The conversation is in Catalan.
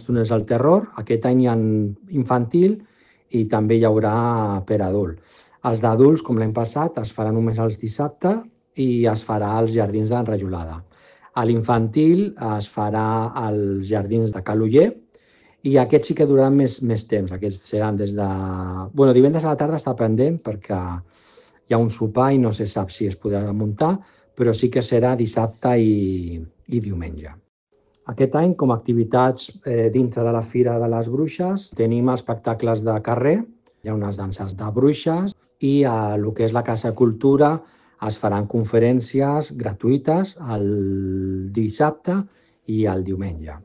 Túnels del terror. Aquest any hi ha infantil i també hi haurà per adult. Els d'adults, com l'any passat, es farà només els dissabtes i es farà als Jardins d'Enrajolada. A l'infantil es farà als Jardins de Cal Oller i aquests sí que duraran més temps. Aquests seran des de... divendres a la tarda està pendent perquè hi ha un sopar i no se sap si es podrà muntar, però sí que serà dissabte i diumenge. Aquest any, com a activitats dintre de la Fira de les Bruixes, tenim espectacles de carrer, hi ha unes danses de bruixes i a el que és la Casa Cultura es faran conferències gratuïtes el dissabte i el diumenge.